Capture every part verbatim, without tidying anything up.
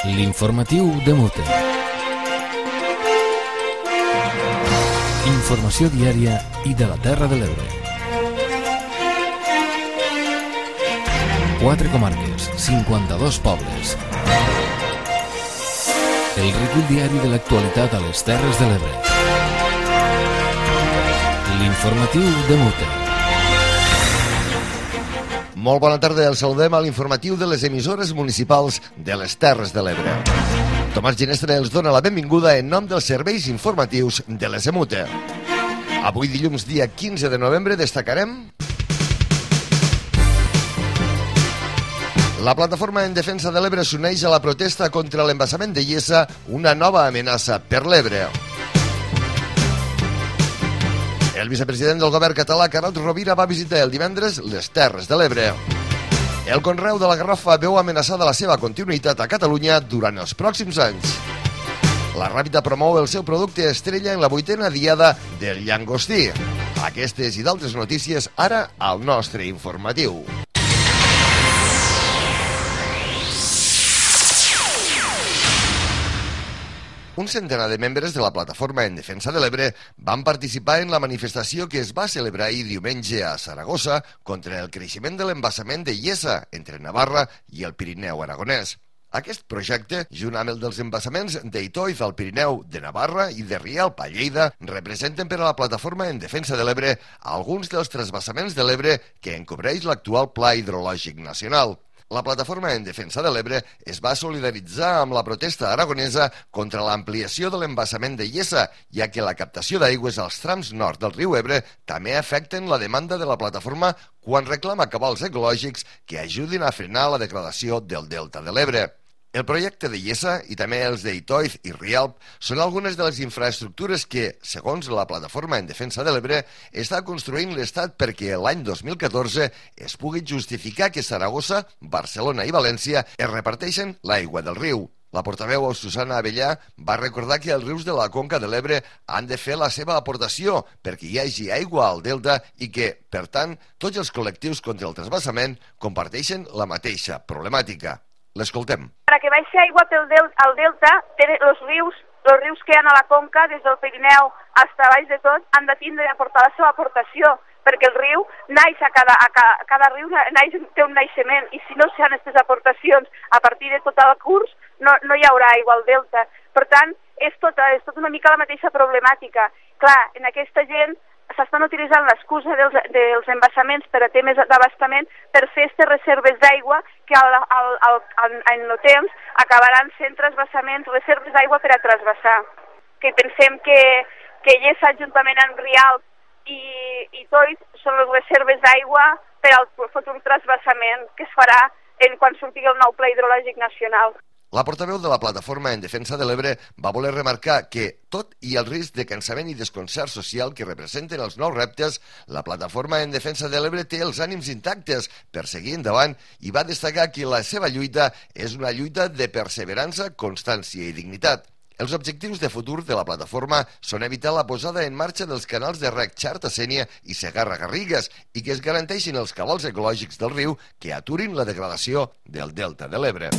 L'informatiu de Mute. Informació diària i de la Terra de l'Ebre. Quatre comarques, cinquanta-dos pobles. El recull diari de l'actualitat a les Terres de l'Ebre. L'informatiu de Mute. Molt bona tarda, el saludem a l'informatiu de les emissores municipals de les Terres de l'Ebre. Tomàs Ginestre els dona la benvinguda en nom dels serveis informatius de les Emute. Avui, dilluns, dia quinze de novembre, destacarem la plataforma en defensa de l'Ebre s'uneix a la protesta contra l'embassament de Iessa, una nova amenaça per l'Ebre. El vicepresident del govern català, Carod Rovira, va visitar el divendres les Terres de l'Ebre. El conreu de la garrofa veu amenaçada la seva continuïtat a Catalunya durant els pròxims anys. La Ràpita promou el seu producte estrella en la vuitena diada del llangostí. Aquestes i d'altres notícies ara al nostre informatiu. Un centenar de membres de la plataforma en defensa de l'Ebre van participar en la manifestació que es va celebrar ahir diumenge a Saragossa contra el creixement de l'embassament de Iessa entre Navarra i el Pirineu aragonès. Aquest projecte, junt amb el dels embassaments d'Itoiz al Pirineu, de Navarra i de Rialp a Lleida, representen per a la plataforma en defensa de l'Ebre alguns dels transvasaments de l'Ebre que encobreix l'actual Pla Hidrològic Nacional. La plataforma en defensa de l'Ebre es va solidaritzar amb la protesta aragonesa contra l'ampliació de l'embassament de Iessa, ja que la captació d'aigües als trams nord del riu Ebre també afecten la demanda de la plataforma quan reclama cabals ecològics que ajudin a frenar la degradació del delta de l'Ebre. El projecte de Iessa i també els d'Itoiz i Rialp són algunes de les infraestructures que, segons la plataforma en defensa de l'Ebre, està construint l'Estat perquè l'any dos mil catorze es pugui justificar que Saragossa, Barcelona i València es reparteixen l'aigua del riu. La portaveu Susana Abellà va recordar que els rius de la conca de l'Ebre han de fer la seva aportació perquè hi hagi aigua al delta i que, per tant, tots els col·lectius contra el transvasament comparteixen la mateixa problemàtica. L'escoltem. Para que baixi aigua pel del, al delta, els rius, els rius que hi ha a la conca, des del Pirineu fins a baix de tot, han de tindre d'aportar la seva aportació, perquè el riu naix a cada, a cada, cada riu naix, té un naixement, i si no s'hi ha aquestes aportacions a partir de tot el curs, no, no hi haurà aigua al delta. Per tant, és tot, és tot una mica la mateixa problemàtica. Clar, en aquesta gent s'estan utilitzant l'excusa dels, dels embassaments per a temes d'abastament per fer aquestes reserves d'aigua que al, al, al, en el temps acabaran sent transvasaments, reserves d'aigua per a transvasar. Que pensem que, que Iessa, juntament amb Rialp i, i Toit, són les reserves d'aigua per al futur transvasament que es farà en quan surti el nou Pla Hidrològic Nacional. La portaveu de la plataforma en defensa de l'Ebre va voler remarcar que, tot i el risc de cansament i desconcert social que representen els nous reptes, la plataforma en defensa de l'Ebre té els ànims intactes per seguir endavant i va destacar que la seva lluita és una lluita de perseverança, constància i dignitat. Els objectius de futur de la plataforma són evitar la posada en marxa dels canals de reg Xarta-Sénia i Segarra-Garrigues i que es garanteixin els cabals ecològics del riu que aturin la degradació del delta de l'Ebre.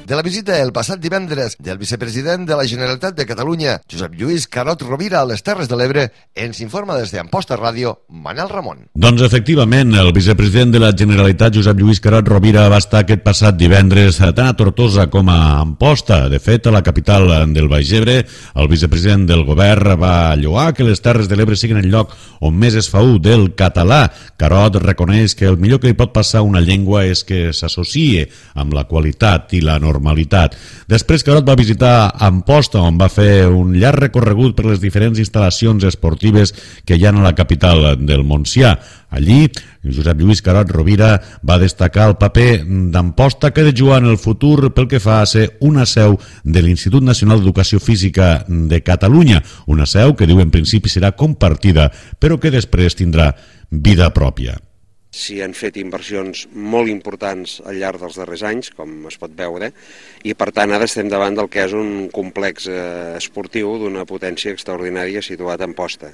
De la visita el passat divendres del vicepresident de la Generalitat de Catalunya, Josep Lluís Carod Rovira, a les Terres de l'Ebre, ens informa des d'Amposta Ràdio, Manel Ramon. Doncs efectivament, el vicepresident de la Generalitat, Josep Lluís Carod Rovira, va estar aquest passat divendres tant a Tortosa com a Amposta. De fet, a la capital del Baix Ebre, el vicepresident del govern va lloar que les Terres de l'Ebre siguin el lloc on més es fa ús del català. Carod reconeix que el millor que li pot passar a una llengua és que s'associï amb la qualitat i la normalitat normalitat. Després Carod va visitar Amposta, on va fer un llarg recorregut per les diferents instal·lacions esportives que hi ha a la capital del Montsià. Allí, Josep Lluís Carod Rovira va destacar el paper d'Amposta que ha de jugar en el futur pel que fa a ser una seu de l'Institut Nacional d'Educació Física de Catalunya, una seu que diu en principi serà compartida, però que després tindrà vida pròpia. S'hi han fet inversions molt importants al llarg dels darrers anys, com es pot veure, i per tant ara estem davant del que és un complex eh, esportiu d'una potència extraordinària situat a Amposta.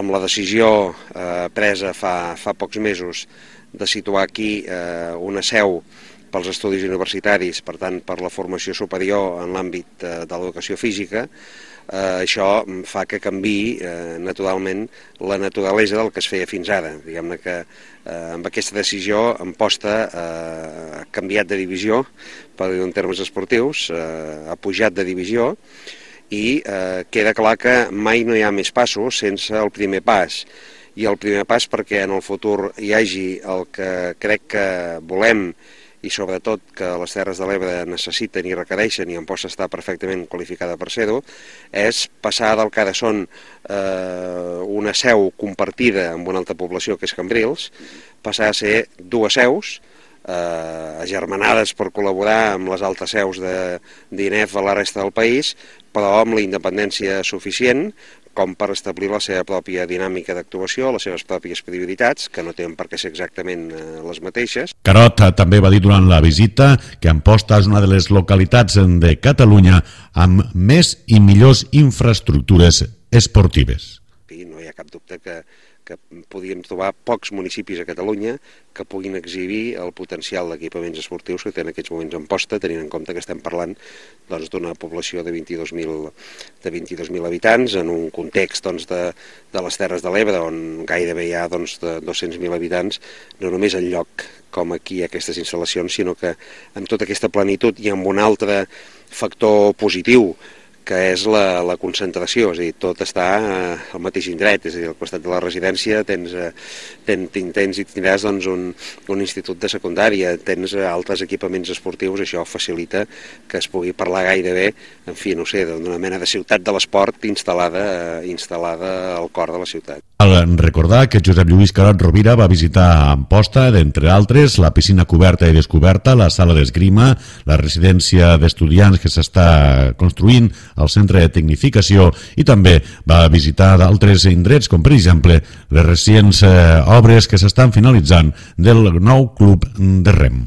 Amb la decisió eh, presa fa, fa pocs mesos de situar aquí eh, una seu pels estudis universitaris, per tant per la formació superior en l'àmbit de l'educació física, eh, això fa que canviï eh, naturalment la naturalesa del que es feia fins ara. Diguem-ne que eh, amb aquesta decisió Amposta eh, ha canviat de divisió, per dir-ho en termes esportius, eh, ha pujat de divisió, i eh, queda clar que mai no hi ha més passos sense el primer pas. I el primer pas perquè en el futur hi hagi el que crec que volem i sobretot que les Terres de l'Ebre necessiten i requereixen, i Amposta està perfectament qualificada per ser-ho, és passar del que ara són eh, una seu compartida amb una altra població que és Cambrils, passar a ser dues seus, eh, agermanades per col·laborar amb les altres seus de d'I N E F a la resta del país, però amb la independència suficient com per establir la seva pròpia dinàmica d'actuació, les seves pròpies prioritats, que no tenen per què ser exactament eh, les mateixes. Carot també va dir durant la visita que Amposta és una de les localitats de Catalunya amb més i millors infraestructures esportives. I no hi ha cap dubte que, que podíem trobar pocs municipis a Catalunya que puguin exhibir el potencial d'equipaments esportius que té en aquests moments Amposta, tenint en compte que estem parlant doncs, d'una població de vint-i-dos mil habitants en un context doncs, de, de les Terres de l'Ebre, on gairebé hi ha doncs, de dos-cents mil habitants, no només en lloc com aquí aquestes instal·lacions, sinó que amb tota aquesta plenitud i amb un altre factor positiu, que és la, la concentració, és a dir, tot està eh, al mateix indret, és a dir, al costat de la residència tens, eh, ten, tens i tindràs doncs, un, un institut de secundària, tens eh, altres equipaments esportius, això facilita que es pugui parlar gairebé, en fi, no sé, d'una mena de ciutat de l'esport instal·lada, eh, instal·lada al cor de la ciutat. Cal recordar que Josep Lluís Carot Rovira va visitar Amposta, d'entre altres, la piscina coberta i descoberta, la sala d'esgrima, la residència d'estudiants que s'està construint, al centre de tecnificació, i també va visitar d'altres indrets, com per exemple les recents eh, obres que s'estan finalitzant del nou club de rem.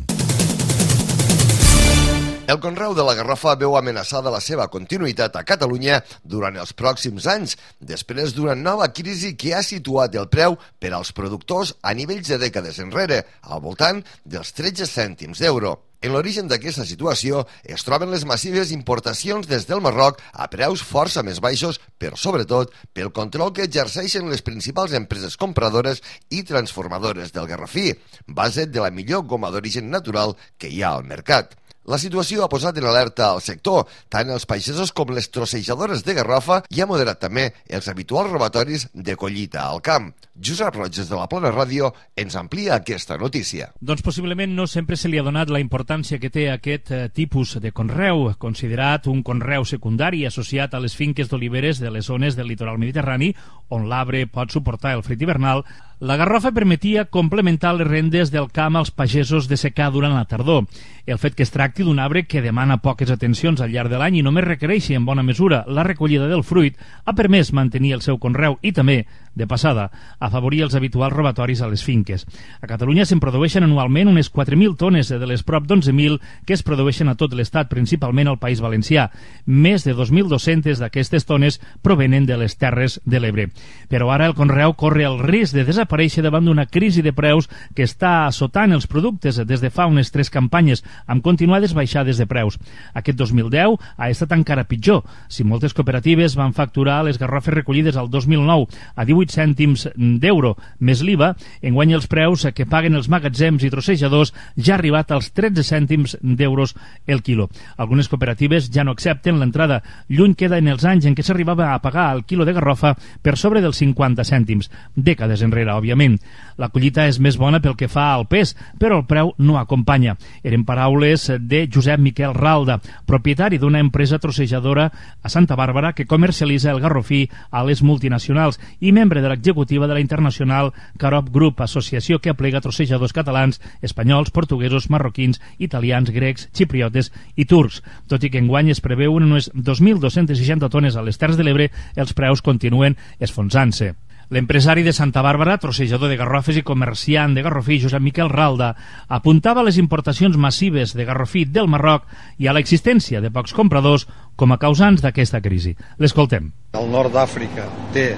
El conreu de la garrofa veu amenaçada la seva continuïtat a Catalunya durant els pròxims anys, després d'una nova crisi que ha situat el preu per als productors a nivells de dècades enrere, al voltant dels tretze cèntims d'euro. En l'origen d'aquesta situació es troben les massives importacions des del Marroc a preus força més baixos, però sobretot pel control que exerceixen les principals empreses compradores i transformadores del garrofí, base de la millor goma d'origen natural que hi ha al mercat. La situació ha posat en alerta al sector, tant els pagesos com les trossejadores de garrofa, i ha moderat també els habituals robatoris de collita al camp. Josep Roges de la Plana Ràdio ens amplia aquesta notícia. Doncs possiblement no sempre se li ha donat la importància que té aquest eh, tipus de conreu, considerat un conreu secundari associat a les finques d'oliveres de les zones del litoral mediterrani, on l'arbre pot suportar el fred hivernal. La garrofa permetia complementar les rendes del camp als pagesos de secà durant la tardor. El fet que es tracti d'un arbre que demana poques atencions al llarg de l'any i només requereixi en bona mesura la recollida del fruit ha permès mantenir el seu conreu i també, de passada, afavorir els habituals robatoris a les finques. A Catalunya se'n produeixen anualment unes quatre mil tones de les prop d'onze mil que es produeixen a tot l'Estat, principalment al País Valencià. Més de dos mil dos-centes d'aquestes tones provenen de les Terres de l'Ebre. Però ara el conreu corre el risc de desaparèixer davant d'una crisi de preus que està assotant els productes des de fa unes tres campanyes, amb continuades baixades de preus. Aquest dos mil deu ha estat encara pitjor. Si moltes cooperatives van facturar les garrofes recollides al dos mil nou a divuit cèntims d'euro més l'I V A, enguany els preus que paguen els magatzems i trossejadors ja ha arribat als tretze cèntims d'euros el quilo. Algunes cooperatives ja no accepten l'entrada. Lluny queda en els anys en què s'arribava a pagar el quilo de garrofa per sobre dels cinquanta cèntims. Dècades enrere, òbviament. La collita és més bona pel que fa al pes, però el preu no acompanya. Eren paraules de Josep Miquel Ralda, propietari d'una empresa trossejadora a Santa Bàrbara que comercialitza el garrofí a les multinacionals i membre de l'executiva de la internacional Carop Group, associació que aplega trossejadors catalans, espanyols, portuguesos, marroquins, italians, grecs, xipriotes i turcs. Tot i que enguany es preveuen unes dos mil dos-centes seixanta tones a les Terres de l'Ebre, els preus continuen esfonsant-se. L'empresari de Santa Bàrbara, trossejador de garrofes i comerciant de garrofí, Josep Miquel Ralda, apuntava a les importacions massives de garrofí del Marroc i a l'existència de pocs compradors com a causants d'aquesta crisi. L'escoltem. El nord d'Àfrica té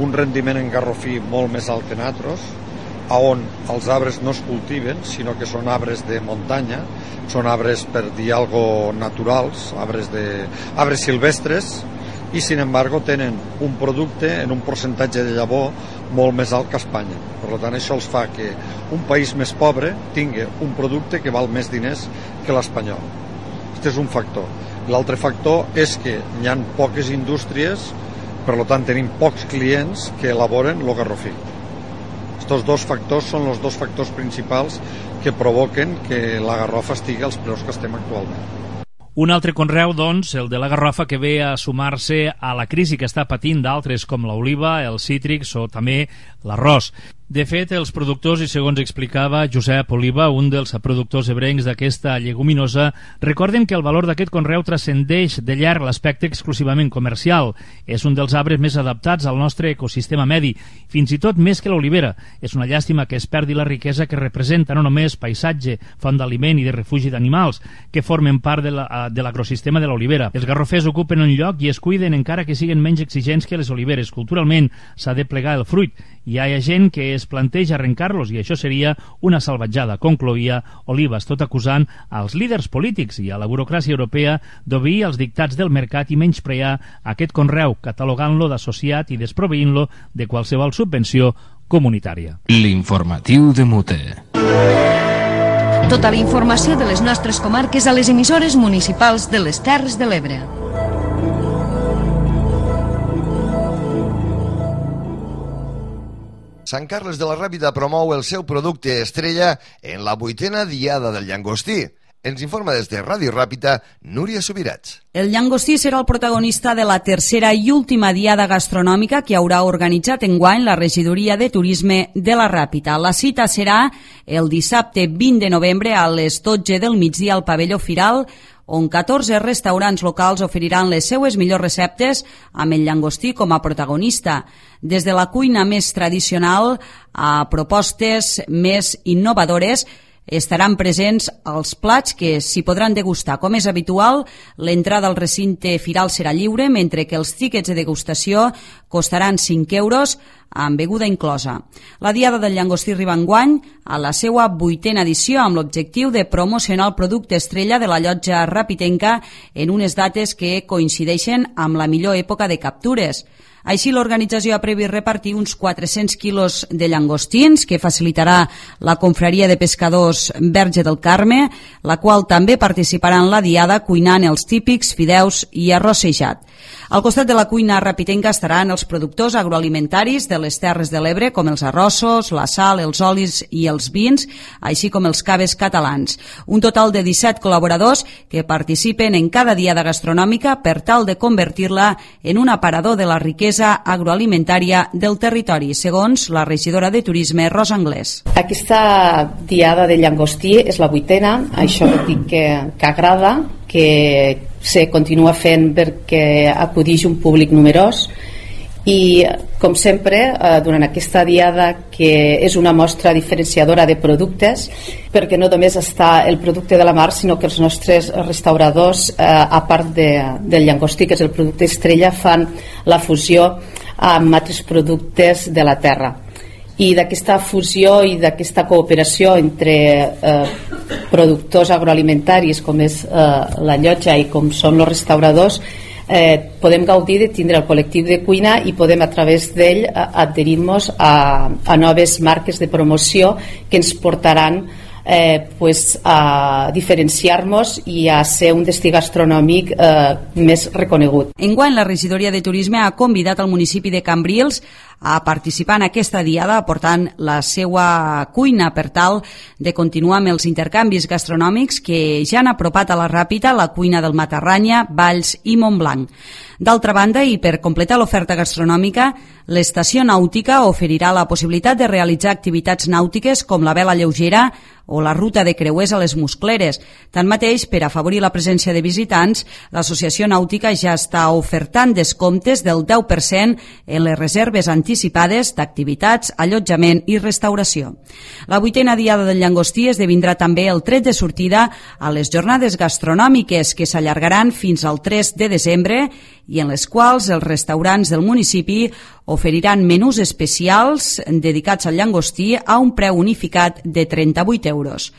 un rendiment en garrofí molt més alt que nosaltres on els arbres no es cultiven, sinó que són arbres de muntanya, són arbres, per dir algo, naturals, arbres, de, arbres silvestres, i sin embargo tenen un producte en un percentatge de llavor molt més alt que Espanya. Per tant, això els fa que un país més pobre tingui un producte que val més diners que l'espanyol. Aquest és un factor. L'altre factor és que hi ha poques indústries, per tant tenim pocs clients que elaboren el garrofí. Aquests dos factors són els dos factors principals que provoquen que la garrofa estigui als preus que estem actualment. Un altre conreu, doncs, el de la garrofa, que ve a sumar-se a la crisi que està patint d'altres com l'oliva, els cítrics o també l'arròs. De fet, els productors, i segons explicava Josep Oliva, un dels productors ebrencs d'aquesta lleguminosa, recorden que el valor d'aquest conreu transcendeix de llarg l'aspecte exclusivament comercial. És un dels arbres més adaptats al nostre ecosistema medi, fins i tot més que l'olivera. És una llàstima que es perdi la riquesa que representa no només paisatge, font d'aliment i de refugi d'animals, que formen part de la, de l'agrosistema de l'olivera. Els garrofers ocupen un lloc i es cuiden encara que siguen menys exigents que les oliveres. Culturalment s'ha de plegar el fruit. Hi ha gent que es planteja arrencar-los i això seria una salvatjada, concloïa Olivas, tot acusant als líders polítics i a la burocràcia europea d'obeir els dictats del mercat i menysprear aquest conreu, catalogant-lo d'associat i desproveint-lo de qualsevol subvenció comunitària. L'informatiu de Mute. Tota la informació de les nostres comarques a les emissores municipals de les Terres de l'Ebre. Sant Carles de la Ràpita promou el seu producte estrella en la vuitena diada del llangostí. Ens informa des de Ràdio Ràpita, Núria Subirats. El llangostí serà el protagonista de la tercera i última diada gastronòmica que haurà organitzat enguany la Regidoria de Turisme de la Ràpita. La cita serà el dissabte vint de novembre a les dotze del migdia al pavelló Firal, on catorze restaurants locals oferiran les seues millors receptes amb el llangostí com a protagonista. Des de la cuina més tradicional a propostes més innovadores, estaran presents els plats que s'hi podran degustar. Com és habitual, l'entrada al recinte firal serà lliure, mentre que els tíquets de degustació costaran cinc euros amb beguda inclosa. La Diada del Llangostí arriba enguany a la seva vuitena edició amb l'objectiu de promocionar el producte estrella de la llotja rapitenca en unes dates que coincideixen amb la millor època de captures. Així, l'organització ha previst repartir uns quatre-cents quilos de llangostins, que facilitarà la confraria de pescadors Verge del Carme, la qual també participarà en la diada cuinant els típics fideus i arrossejat. Al costat de la cuina rapitenca estaran els productors agroalimentaris de les Terres de l'Ebre, com els arrossos, la sal, els olis i els vins, així com els caves catalans. Un total de disset col·laboradors que participen en cada diada gastronòmica per tal de convertir-la en un aparador de la riquesa agroalimentària del territori, segons la regidora de Turisme, Rosa Anglès. Aquesta diada de llangostí és la vuitena, això vol dir que, que agrada, que se continua fent perquè acudix un públic numerós i, com sempre, durant aquesta diada, que és una mostra diferenciadora de productes, perquè no només està el producte de la mar, sinó que els nostres restauradors, a part de, del llangostí, que és el producte estrella, fan la fusió amb altres productes de la terra. I d'aquesta fusió i d'aquesta cooperació entre eh, productors agroalimentaris com és eh, la llotja i com són els restauradors, eh, podem gaudir de tindre el col·lectiu de cuina i podem a través d'ell adherir-nos a, a noves marques de promoció que ens portaran eh, pues, a diferenciar-nos i a ser un destí gastronòmic eh, més reconegut. Enguany, la regidoria de Turisme ha convidat al municipi de Cambrils a participar en aquesta diada aportant la seva cuina per tal de continuar amb els intercanvis gastronòmics que ja han apropat a la Ràpita la cuina del Matarranya, Valls i Montblanc. D'altra banda, i per completar l'oferta gastronòmica, l'estació nàutica oferirà la possibilitat de realitzar activitats nàutiques com la vela lleugera o la ruta de creuers a les Muscleres. Tanmateix, per afavorir la presència de visitants, l'associació nàutica ja està ofertant descomptes del deu per cent en les reserves anticipades d'activitats, allotjament i restauració. La vuitena diada del llangostí esdevindrà també el tret de sortida a les jornades gastronòmiques que s'allargaran fins al tres de desembre i en les quals els restaurants del municipi oferiran menús especials dedicats al llangostí a un preu unificat de trenta-vuit euros.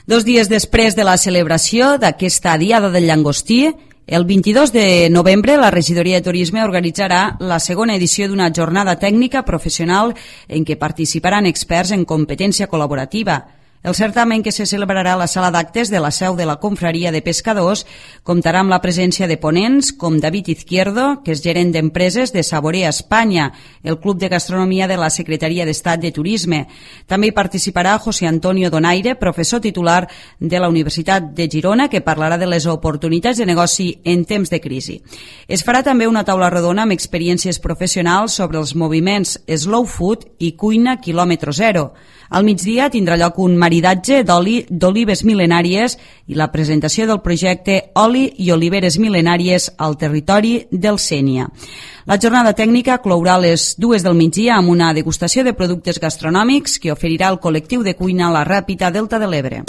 Dos dies després de la celebració d'aquesta Diada del Llangostí, el vint-i-dos de novembre, la Regidoria de Turisme organitzarà la segona edició d'una jornada tècnica professional en què participaran experts en competència col·laborativa. El certamen, que se celebrarà a la sala d'actes de la seu de la Confraria de Pescadors, comptarà amb la presència de ponents com David Izquierdo, que és gerent d'empreses de Saborea Espanya, el Club de Gastronomia de la Secretaria d'Estat de Turisme. També hi participarà José Antonio Donaire, professor titular de la Universitat de Girona, que parlarà de les oportunitats de negoci en temps de crisi. Es farà també una taula rodona amb experiències professionals sobre els moviments slow food i cuina quilòmetre zero. Al migdia tindrà lloc un maridatge d'oli d'olives mil·lenàries i la presentació del projecte Oli i Oliveres Mil·lenàries al territori del Sénia. La jornada tècnica clourà a les dues del migdia amb una degustació de productes gastronòmics que oferirà el col·lectiu de cuina La Ràpita Delta de l'Ebre.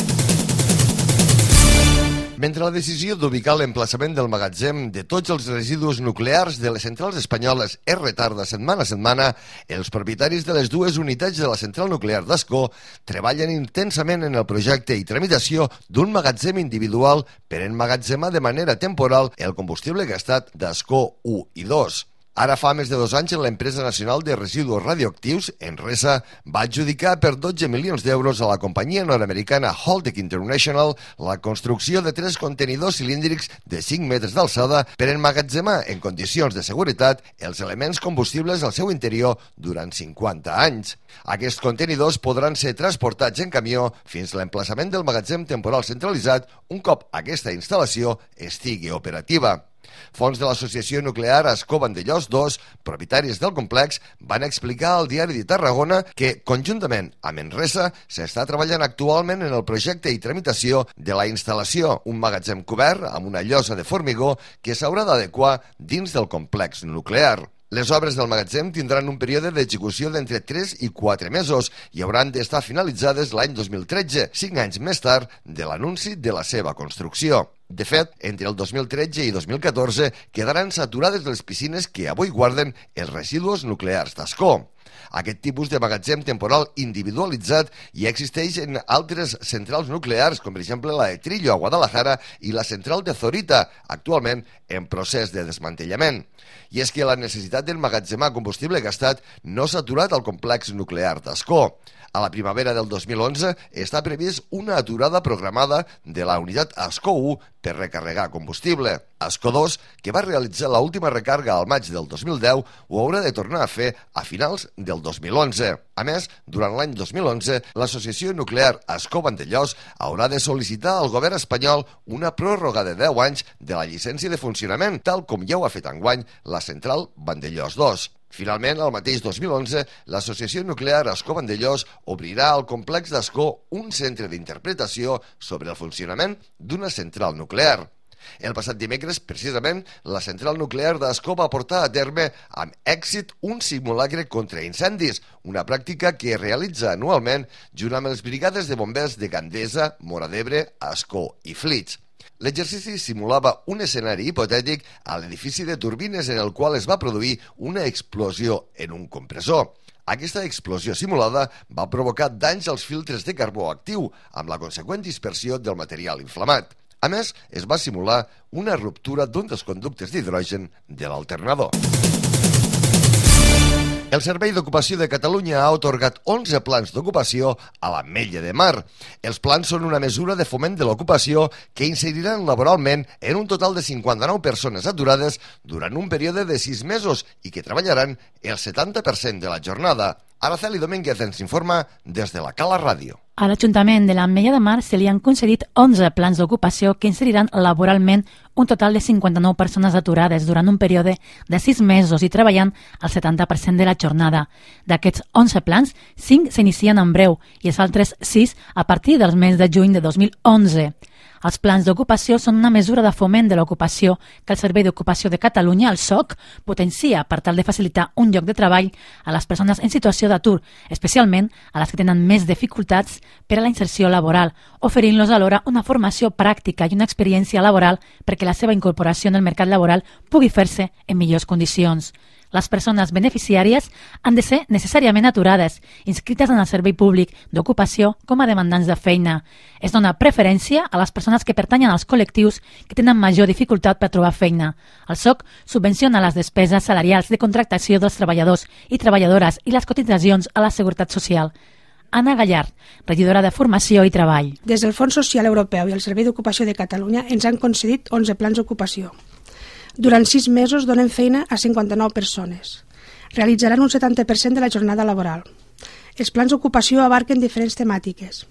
Mentre la decisió d'ubicar l'emplaçament del magatzem de tots els residus nuclears de les centrals espanyoles es retarda setmana a setmana, els propietaris de les dues unitats de la central nuclear d'Ascó treballen intensament en el projecte i tramitació d'un magatzem individual per emmagatzemar de manera temporal el combustible gastat d'Ascó u i dos. Ara fa més de dos anys l'empresa nacional de residus radioactius, Enresa, va adjudicar per dotze milions d'euros a la companyia nord-americana Holtec International la construcció de tres contenidors cilíndrics de cinc metres d'alçada per emmagatzemar en condicions de seguretat els elements combustibles al seu interior durant cinquanta anys. Aquests contenidors podran ser transportats en camió fins a l'emplaçament del magatzem temporal centralitzat un cop aquesta instal·lació estigui operativa. Fons de l'Associació Nuclear Ascó Vandellòs dos, propietaris del complex, van explicar al Diari de Tarragona que, conjuntament amb Enresa, s'està treballant actualment en el projecte i tramitació de la instal·lació, un magatzem cobert amb una llosa de formigó que s'haurà d'adequar dins del complex nuclear. Les obres del magatzem tindran un període d'execució d'entre tres i quatre mesos i hauran d'estar finalitzades l'any dos mil tretze, cinc anys més tard de l'anunci de la seva construcció. De fet, entre el dos mil tretze i dos mil catorze quedaran saturades les piscines que avui guarden els residus nuclears d'Ascó. Aquest tipus de magatzem temporal individualitzat ja existeix en altres centrals nuclears, com per exemple la de Trillo a Guadalajara i la central de Zorita, actualment en procés de desmantellament. I és que la necessitat d'emmagatzemar combustible gastat no s'ha aturat al complex nuclear d'Ascó. A la primavera del dos mil onze està previst una aturada programada de la unitat Ascó u per recarregar combustible. Ascó dos, que va realitzar l'última recàrrega al maig del dos mil deu, ho haurà de tornar a fer a finals del dos mil onze. A més, durant l'any dos mil onze, l'Associació Nuclear Ascó Vandellòs haurà de sol·licitar al govern espanyol una pròrroga de deu anys de la llicència de funcionament, tal com ja ho ha fet enguany la central Vandellòs dos. Finalment, el mateix dos mil onze, l'Associació Nuclear Ascó Vandellòs obrirà al complex d'Ascó un centre d'interpretació sobre el funcionament d'una central nuclear. El passat dimecres, precisament, la central nuclear d'Ascó va portar a terme amb èxit un simulacre contra incendis, una pràctica que es realitza anualment junt amb les brigades de bombers de Gandesa, Móra d'Ebre, Ascó i Flix. L'exercici simulava un escenari hipotètic a l'edifici de turbines en el qual es va produir una explosió en un compressor. Aquesta explosió simulada va provocar danys als filtres de carbó actiu, amb la conseqüent dispersió del material inflamat. A més, es va simular una ruptura d'un dels conductes d'hidrogen de l'alternador. El Servei d'Ocupació de Catalunya ha atorgat onze plans d'ocupació a l'Ametlla de Mar. Els plans són una mesura de foment de l'ocupació que inseriran laboralment en un total de cinquanta-nou persones aturades durant un període de sis mesos i que treballaran el setanta per cent de la jornada. Araceli Domínguez ens informa des de la Cala Ràdio. A l'Ajuntament de l'Ametlla de Mar se li han concedit onze plans d'ocupació que inseriran laboralment un total de cinquanta-nou persones aturades durant un període de sis mesos i treballant el setanta per cent de la jornada. D'aquests onze plans, cinc s'inicien en breu i els altres sis a partir del mes de juny de dos mil onze. Els plans d'ocupació són una mesura de foment de l'ocupació que el Servei d'Ocupació de Catalunya, el S O C, potencia per tal de facilitar un lloc de treball a les persones en situació d'atur, especialment a les que tenen més dificultats per a la inserció laboral, oferint-los alhora una formació pràctica i una experiència laboral perquè la seva incorporació en el mercat laboral pugui fer-se en millors condicions. Les persones beneficiàries han de ser necessàriament aturades, inscrites en el servei públic d'ocupació com a demandants de feina. Es dona preferència a les persones que pertanyen als col·lectius que tenen major dificultat per trobar feina. El S O C subvenciona les despeses salarials de contractació dels treballadors i treballadores i les cotitzacions a la Seguretat Social. Anna Gallard, regidora de Formació i Treball. Des del Fons Social Europeu i el Servei d'Ocupació de Catalunya ens han concedit onze plans d'ocupació. Durant sis mesos donen feina a cinquanta-nou persones. Realitzaran un setanta per cent de la jornada laboral. Els plans d'ocupació abarquen diferents temàtiques.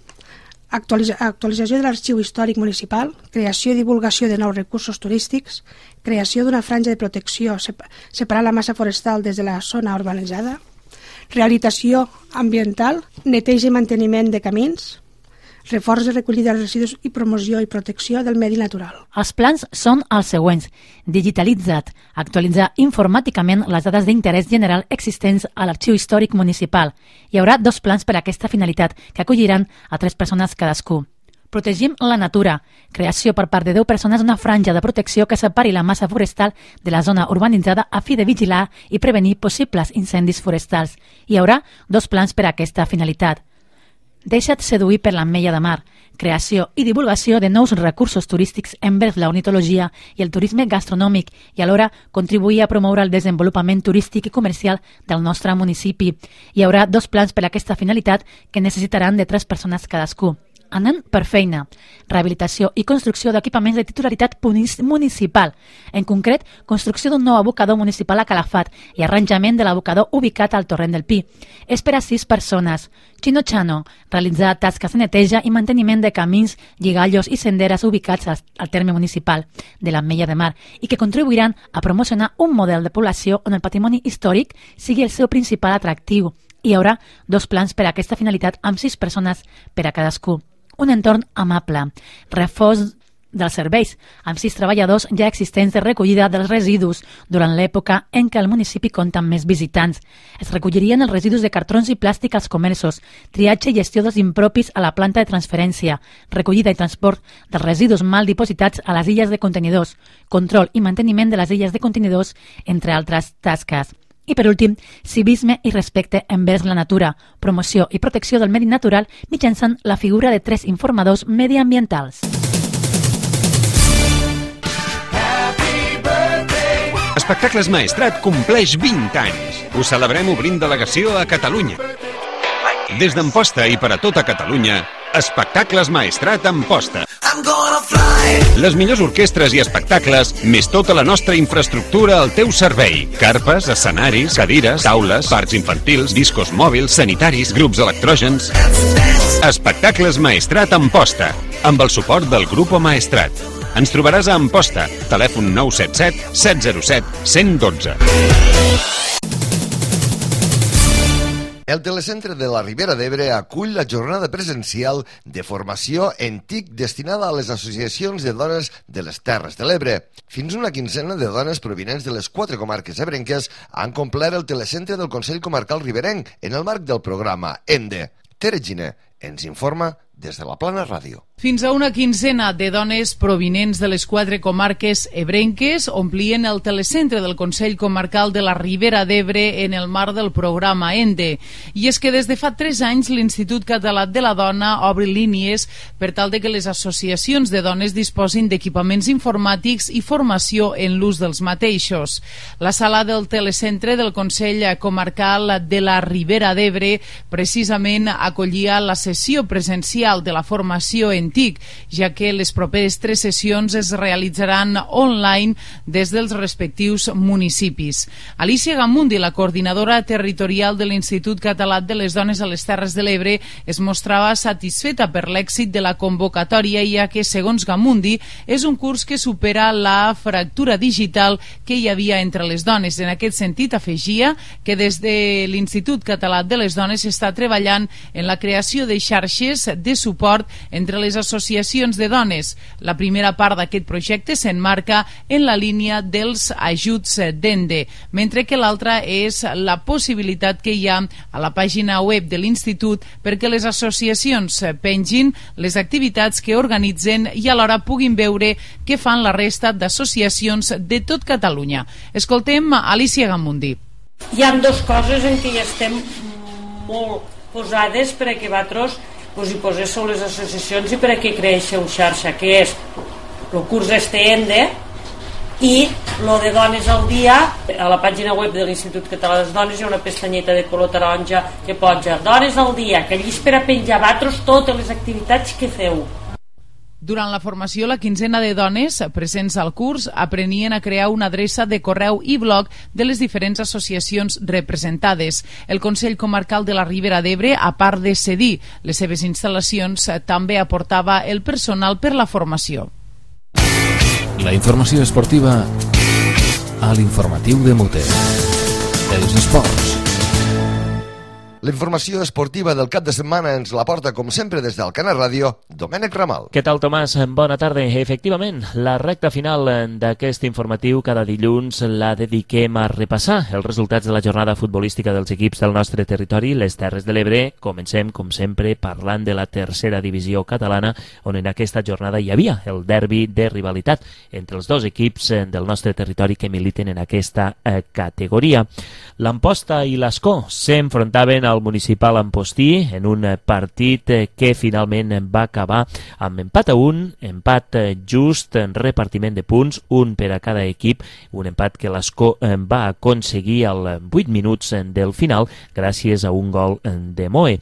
Actualitza- actualització de l'arxiu històric municipal, creació i divulgació de nous recursos turístics, creació d'una franja de protecció sep- separant la massa forestal des de la zona urbanitzada, rehabilitació ambiental, neteja i manteniment de camins, reforç de recollida de residus i promoció i protecció del medi natural. Els plans són els següents. Digitalitzat, actualitzar informàticament les dades d'interès general existents a l'arxiu històric municipal. Hi haurà dos plans per a aquesta finalitat, que acolliran a tres persones cadascú. Protegim la natura. Creació per part de deu persones d'una franja de protecció que separi la massa forestal de la zona urbanitzada a fi de vigilar i prevenir possibles incendis forestals. Hi haurà dos plans per a aquesta finalitat. Deixa't seduir per l'ametlla de mar. Creació i divulgació de nous recursos turístics envers la ornitologia i el turisme gastronòmic i alhora contribuir a promoure el desenvolupament turístic i comercial del nostre municipi. Hi haurà dos plans per a aquesta finalitat que necessitaran de tres persones cadascú. Anem per feina. Rehabilitació i construcció d'equipaments de titularitat municipal. En concret, construcció d'un nou abocador municipal a Calafat i arranjament de l'abocador ubicat al Torrent del Pi. És per a sis persones. Chino Chano, realitzar tasques de neteja i manteniment de camins, lligallos i senderes ubicats al terme municipal de l'Ametlla de Mar i que contribuiran a promocionar un model de població on el patrimoni històric sigui el seu principal atractiu. Hi haurà dos plans per a aquesta finalitat amb sis persones per a cadascú. Un entorn amable, reforç dels serveis, amb sis treballadors ja existents de recollida dels residus durant l'època en què el municipi compta amb més visitants. Es recollirien els residus de cartrons i plàstic als comerços, triatge i gestió dels impropis a la planta de transferència, recollida i transport dels residus mal dipositats a les illes de contenidors, control i manteniment de les illes de contenidors, entre altres tasques. I per últim, civisme i respecte envers la natura, promoció i protecció del medi natural mitjançant la figura de tres informadors mediambientals. Espectacles Maestrat compleix vint anys. Ho celebrem obrint delegació a Catalunya. Des d'Amposta i per a tota Catalunya, Espectacles Maestrat Amposta. Les millors orquestres i espectacles, més tota la nostra infraestructura al teu servei. Carpes, escenaris, cadires, taules, parcs infantils, discos mòbils, sanitaris, grups electrògens. Espectacles Maestrat Amposta, amb el suport del Grupo Maestrat. Ens trobaràs a Amposta, telèfon nou set set, set zero set, cent dotze. El Telecentre de la Ribera d'Ebre acull la jornada presencial de formació en T I C destinada a les associacions de dones de les Terres de l'Ebre. Fins una quinzena de dones provinents de les quatre comarques ebrenques han complert el Telecentre del Consell Comarcal Riberenc en el marc del programa ENDE. Tere Giner ens informa des de la Plana Ràdio. Fins a una quinzena de dones provinents de les quatre comarques ebrenques omplien el telecentre del Consell Comarcal de la Ribera d'Ebre en el marc del programa ENDE. I és que des de fa tres anys l'Institut Català de la Dona obre línies per tal de que les associacions de dones disposin d'equipaments informàtics i formació en l'ús dels mateixos. La sala del telecentre del Consell Comarcal de la Ribera d'Ebre precisament acollia la sessió presencial de la formació en T I C, ja que les properes tres sessions es realitzaran online des dels respectius municipis. Alicia Gamundi, la coordinadora territorial de l'Institut Català de les Dones a les Terres de l'Ebre, es mostrava satisfeta per l'èxit de la convocatòria, ja que, segons Gamundi, és un curs que supera la fractura digital que hi havia entre les dones. En aquest sentit, afegia que des de l'Institut Català de les Dones s'està treballant en la creació de xarxes de suport entre les associacions de dones. La primera part d'aquest projecte s'enmarca en la línia dels ajuts d'ENDE, mentre que l'altra és la possibilitat que hi ha a la pàgina web de l'Institut perquè les associacions pengin les activitats que organitzen i alhora puguin veure què fan la resta d'associacions de tot Catalunya. Escoltem Alicia Gamundi. Hi ha dues coses en què ja estem molt posades per a que vosaltres pues, hi poséssiu les associacions i per a que creixeu xarxa, que és el curs este ENDE i lo de Dones al Dia. A la pàgina web de l'Institut Català de les Dones hi ha una pestanyeta de color taronja que posa Dones al Dia, que allí és per a penjar vosaltres totes les activitats que feu. Durant la formació, la quinzena de dones presents al curs aprenien a crear una adreça de correu i blog de les diferents associacions representades. El Consell Comarcal de la Ribera d'Ebre, a part de cedir les seves instal·lacions, també aportava el personal per la formació. La informació esportiva a l'informatiu de Mute. Els esports. La informació esportiva del cap de setmana ens la porta, com sempre, des del Canal Ràdio, Domènec Ramal. Què tal, Tomàs? Bona tarda. Efectivament, la recta final d'aquest informatiu cada dilluns la dediquem a repassar els resultats de la jornada futbolística dels equips del nostre territori, les Terres de l'Ebre. Comencem, com sempre, parlant de la tercera divisió catalana, on en aquesta jornada hi havia el derbi de rivalitat entre els dos equips del nostre territori que militen en aquesta eh, categoria. L'Amposta i l'Escó s'enfrontaven al municipal Ampostí en un partit que finalment va acabar amb empat a un, empat just, repartiment de punts, un per a cada equip, un empat que l'Escó va aconseguir als vuit minuts del final gràcies a un gol de Moe.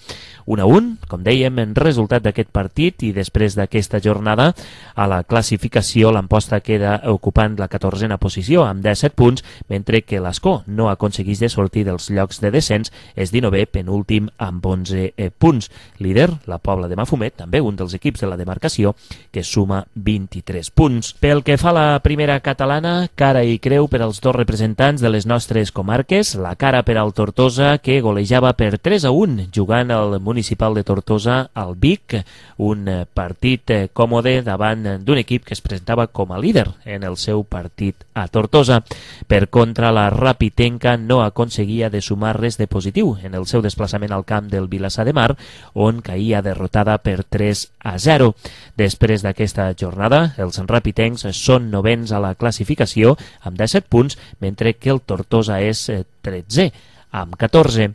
un a un, com dèiem, en resultat d'aquest partit, i després d'aquesta jornada a la classificació l'Amposta queda ocupant la catorzena posició amb disset punts, mentre que l'Escó no aconseguís de sortir dels llocs de descens, és dinovè penúltim amb onze punts. Líder, la Pobla de Mafumet, també un dels equips de la demarcació, que suma vint-i-tres punts. Pel que fa a la primera catalana, cara i creu per als dos representants de les nostres comarques, la cara per al Tortosa, que golejava per tres a un, jugant al municipal de Tortosa al Vic, un partit còmode davant d'un equip que es presentava com a líder en el seu partit a Tortosa. Per contra, la Rapitenca no aconseguia de sumar res de positiu en el seu desplaçament al camp del Vilassar de Mar, on caïa derrotada per tres a zero. Després d'aquesta jornada, els rapitencs són novens a la classificació amb disset punts, mentre que el Tortosa és tretzè amb catorze.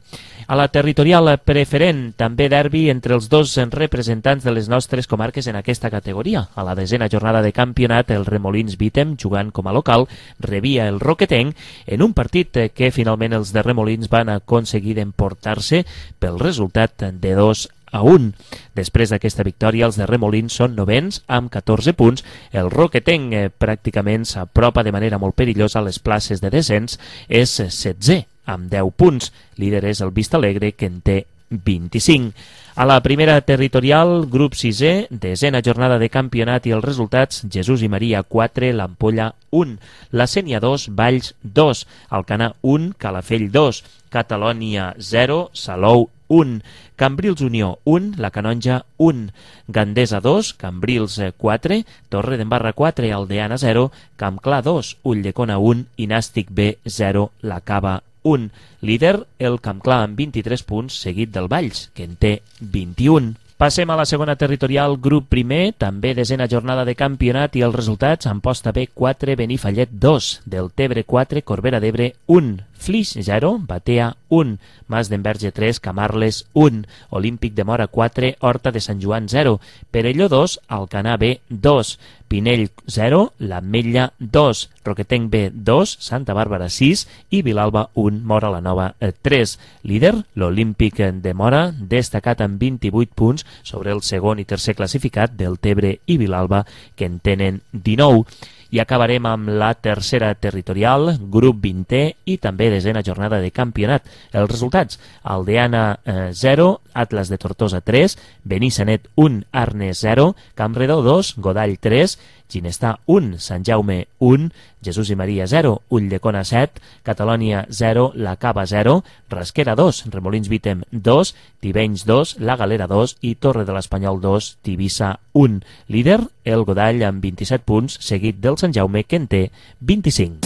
A la territorial preferent, també derbi entre els dos representants de les nostres comarques en aquesta categoria. A la desena jornada de campionat, el Remolins Vítem, jugant com a local, rebia el Roquetenc en un partit que finalment els de Remolins van aconseguir d'emportar-se pel resultat de dos a un. Després d'aquesta victòria, els de Remolins són novens amb catorze punts. El Roquetenc eh, pràcticament s'apropa de manera molt perillosa a les places de descens, és setzè amb deu punts. Líder és el Vistalegre, que en té vint-i-cinc. A la primera territorial, grup sisè, desena jornada de campionat i els resultats: Jesús i Maria quatre, l'Ampolla un, la Sénia dos, Valls dos, Alcanar un, Calafell dos, Catalònia zero, Salou un, Cambrils Unió un, la Canonja un, Gandesa dos, Cambrils quatre, Torre d'Embarra quatre, Aldeana zero, Campclar dos, Ulldecona un i Nàstic B zero, la Cava un. Líder, el Campclar amb vint-i-tres punts, seguit del Valls, que en té vint-i-un. Passem a la segona territorial, grup primer, també desena jornada de campionat i els resultats: Amposta B quatre, Benifallet dos, Deltebre quatre, Corbera d'Ebre un, Flix zero, Batea un, Mas d'Enverge tres, Camarles un, Olímpic de Mora quatre, Horta de Sant Joan zero, Perelló dos, Alcanar B dos, Pinell zero, l'Ametlla dos, Roquetenc B dos, Santa Bàrbara sis i Vilalba un, Mora la Nova tres. Líder, l'Olímpic de Mora, destacat amb vint-i-vuit punts sobre el segon i tercer classificat, Deltebre i Vilalba, que en tenen dinou. I acabarem amb la tercera territorial, grup vintè i també desena jornada de campionat. Els resultats: Aldeana zero, Atlas de Tortosa tres, Benissanet un, Arnes zero, Campredó dos, Godall tres, Ginestà un, Sant Jaume un, Jesús i Maria zero, Ulldecona set, Catalònia zero, La Cava zero, Rasquera dos, Remolins Vítem dos, Tivenys dos, La Galera dos i Torre de l'Espanyol dos, Tivissa un. Líder, el Godall amb vint-i-set punts, seguit del Sant Jaume, que en té vint-i-cinc.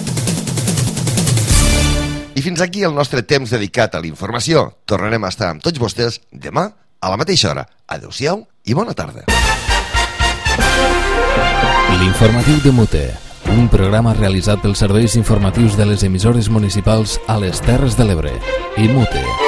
I fins aquí el nostre temps dedicat a la informació. Tornarem a estar amb tots vostès demà a la mateixa hora. Adéu-siau i bona tarda. L'informatiu de Mute, un programa realitzat pels serveis informatius de les emissores municipals a les Terres de l'Ebre i Mute.